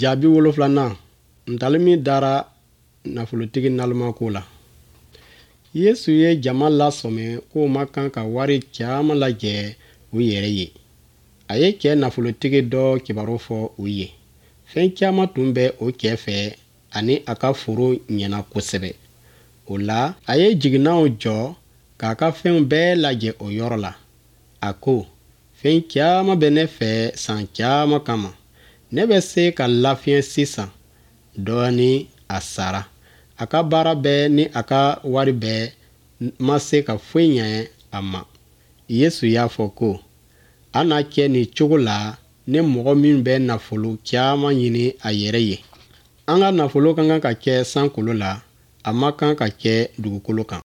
Jaabi wolonfilanan ntalen min dara nafolotigi naloma ko la. Yesu ye jama lasɔmi k'o man kan ka wari caman lajɛ u yɛrɛ ye. A ye cɛ nafolotigi dɔ kibaru fɔ u ye. Fɛn caman tun bɛ o cɛ fɛ ani a ka foro ɲɛna kosɛbɛ. O la, a ye jiginnaw jɔ k'a ka fɛnw bɛɛ lajɛ o yɔrɔ la. A ko, fɛn caman bɛ ne fɛ san caman kama. Ne bɛ se ka lafiɲɛ sisan dɔɔnin a sara. A ka baara bɛɛ ni a ka wari bɛɛ ma se ka foyi ɲɛ a ma. Yesu y'a fɔ ko, a na kɛ nin cogo la ni mɔgɔ min bɛ nafolo caman ɲini a yɛrɛ ye. An ka nafolo ka kan ka kɛ sankolo la, a man kan ka kɛ dugukolo kan.